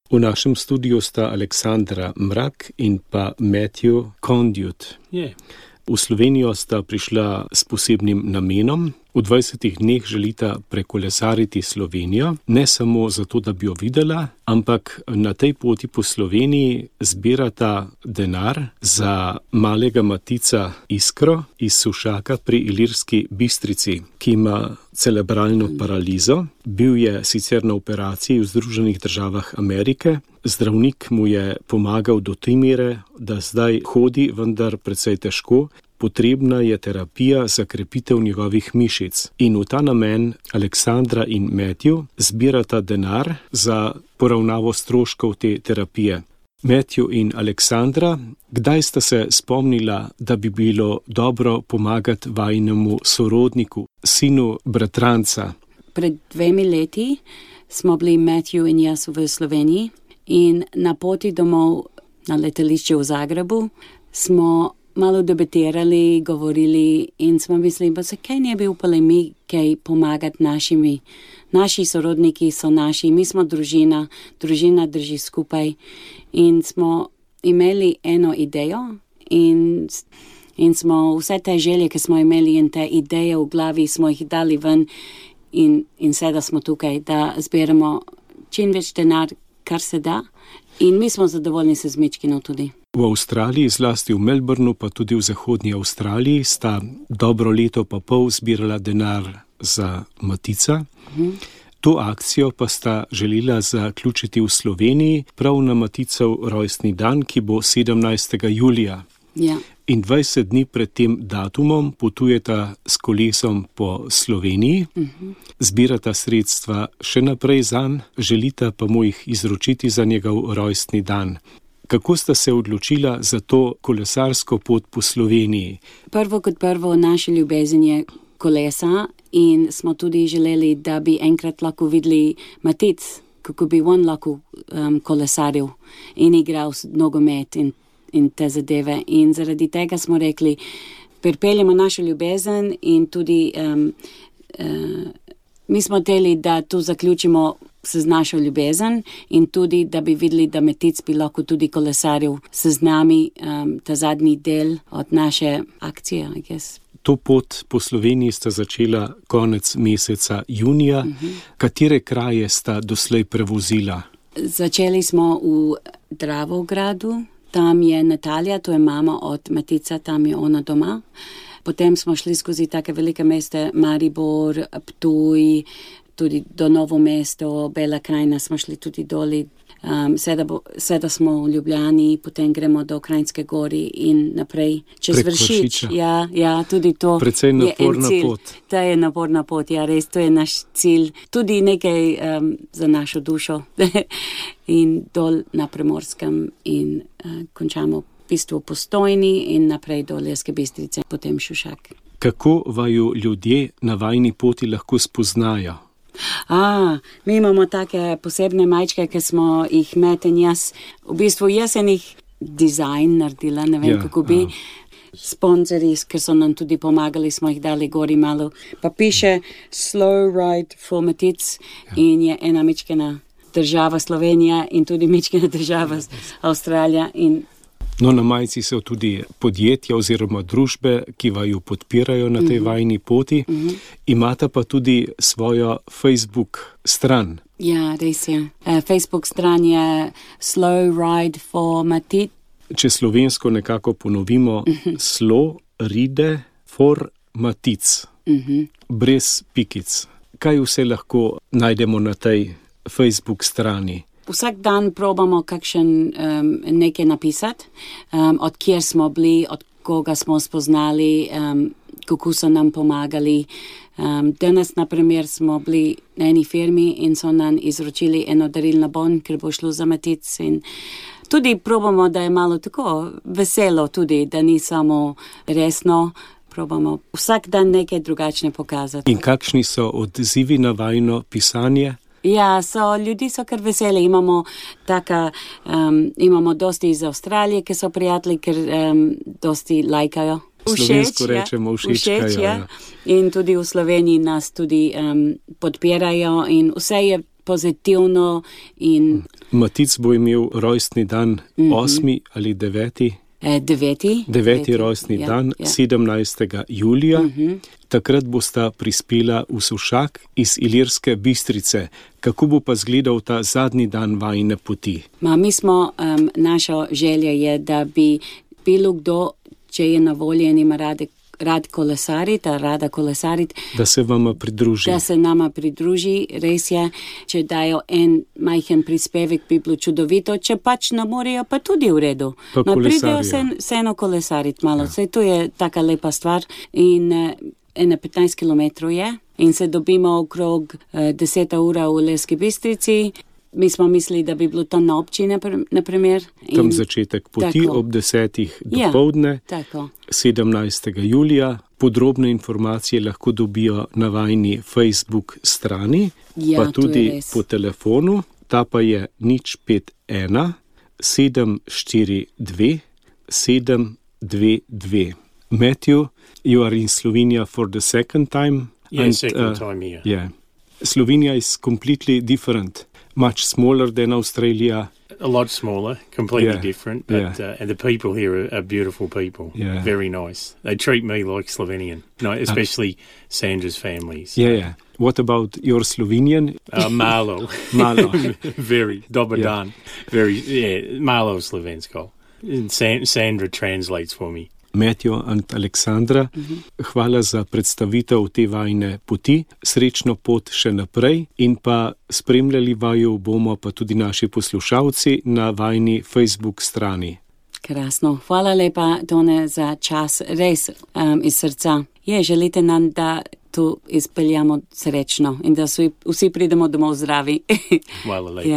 V našem studiu sta Aleksandra Mrak in pa Matthew Conduit. V Slovenijo sta prišla s posebnim namenom. V 20 dneh želita prekolesariti Slovenijo, ne samo zato, da bi jo videla, ampak na tej poti po Sloveniji zbirata denar za malega Matica Iskro iz Sušaka pri Ilirski Bistrici, ki ima cerebralno paralizo. Bil je sicer na operaciji v Združenih državah Amerike. Zdravnik mu je pomagal do te mere, da zdaj hodi, vendar precej težko. Potrebna je terapija za krepitev njegovih mišic. In v ta namen Aleksandra in Matthew zbirata denar za poravnavo stroškov te terapije. Matthew in Aleksandra, kdaj sta se spomnila, da bi bilo dobro pomagati vajinemu sorodniku, sinu bratranca? Pred 2 leti smo bili Matthew in jaz v Sloveniji in na poti domov na letališče v Zagrebu smo malo debatirali, govorili in smo mislili, pa se kaj ne bi upali mi kaj pomagati naši sorodniki so naši, mi smo družina drži skupaj in smo imeli eno idejo in smo vse te želje, ki smo imeli in te ideje v glavi, smo jih dali ven in sedaj smo tukaj, da zberemo čim več denar, kar se da in mi smo zadovoljni se z Mičkino tudi. V Avstraliji, zlasti v Melbourneu, pa tudi v zahodnji Avstraliji, sta dobro leto pa pol zbirala denar za Matica. To akcijo pa sta želela zaključiti v Sloveniji prav na Maticov rojstni dan, ki bo 17. julija. Ja. In 20 dni pred tem datumom potujeta s kolesom po Sloveniji, zbirata sredstva še naprej zanj, želita pa mu jih izročiti za njegov rojstni dan. Kako sta se odločila za to kolesarsko pot po Sloveniji? Prvo kot prvo, naša ljubezen je kolesa in smo tudi želeli, da bi enkrat lahko videli Matic, kako bi on lahko kolesaril in igral nogomet in te zadeve. In zaradi tega smo rekli, pripeljemo našo ljubezen in tudi mi smo hteli, da tu zaključimo se z našo ljubezen in tudi, da bi videli, da Matic bi lahko tudi kolesaril se z nami ta zadnji del od naše akcije, I guess. To pot po Sloveniji sta začela konec meseca junija. Katere kraje sta doslej prevozila? Začeli smo v Dravogradu, tam je Natalija, to je mama od Matica, tam je ona doma. Potem smo šli skozi take velike mesta, Maribor, Ptuj, tudi do Novo mesto, Bela krajina smo šli tudi doli. Sedaj smo v Ljubljani, potem gremo do Kranjske gori in naprej čez Vršič. Ja, tudi to precej naporna pot. To je naporna pot, ja, res, to je naš cilj. Tudi nekaj za našo dušo in dol na Primorskem in končamo v bistvu Postojni in naprej do Ilirske Bistrice, potem Šušak. Kako vaju ljudje na vajni poti lahko spoznajo? Mi imamo take posebne majčke, ki smo jih Met in jaz, v bistvu jaz sem jih dizajn naredila, ne vem kako bi. Sponzorji, ki so nam tudi pomagali, smo jih dali gori malo. Pa piše Slow Ride for Matic in je ena Mičkina država Slovenija in tudi Mičkina država Avstralija. No, na majici so tudi podjetja oziroma družbe, ki vaju podpirajo na tej vajni poti. Imata pa tudi svojo Facebook stran. Ja, res je. Facebook stran je Slow Ride for Matic. Če slovensko nekako ponovimo, Slow Ride for Matic. Brez pikic. Kaj vse lahko najdemo na tej Facebook strani? Vsak dan probamo nekaj napisati, od kjer smo bili, od koga smo spoznali, kako so nam pomagali. Danes, na primer, smo bili na eni firmi in so nam izročili eno darilno bon, ker bo šlo za Matic. In tudi probamo, da je malo tako veselo tudi, da ni samo resno. Probamo vsak dan nekaj drugačne pokazati. In kakšni so odzivi na vajino pisanje? Ja, ljudi so kar veseli. Imamo dosti iz Avstralije, ki so prijatelji, ker dosti lajkajo. Slovensko rečemo všečkajo. Ja. In tudi v Sloveniji nas tudi podpirajo in vse je pozitivno. In Matic bo imel rojstni dan 8. ali 9. 9. rojstni dan, 17. julija. Takrat bosta prispela v Sušak iz Ilirske Bistrice. Kako bo pa izgledal ta zadnji dan vajine poti? Naša želja je, da bi bilo kdo, če je na voljo in ima rad kolesariti, rada kolesariti, da se vama pridruži. Da se nama pridruži, res je. Če dajo en majhen prispevek, bi bilo čudovito, če pač ne morejo, pa tudi v redu. Pridejo se eno kolesariti malo. Vse to je taka lepa stvar in 15 kilometrov je in se dobimo okrog 10 ura v Ilirski Bistrici. Mi smo mislili, da bi bilo to na občini, naprimer. Tam začetek poti ob 10. dopoldne, 17. julija. Podrobne informacije lahko dobijo na vajini Facebook strani, pa tudi po telefonu. Ta pa je 051 742 722. Matthew, you are in Slovenia for the second time. Second time here. Yeah. Slovenia is completely different. Much smaller than Australia. A lot smaller, completely different. But and the people here are beautiful people. Yeah. Very nice. They treat me like Slovenian, especially Sandra's family. So. Yeah. What about your Slovenian? Malo. Malo. Very. Dobar dan. Very, malo slovensko. And Sandra translates for me. Matthew and Aleksandra, hvala za predstavitev te vajine poti, srečno pot še naprej in pa spremljali vaju bomo pa tudi naši poslušalci na vajini Facebook strani. Krasno, hvala lepa, Tone, za čas, res iz srca. Želite nam, da to izpeljamo srečno in da vsi pridemo domov zdravi. Hvala lepa.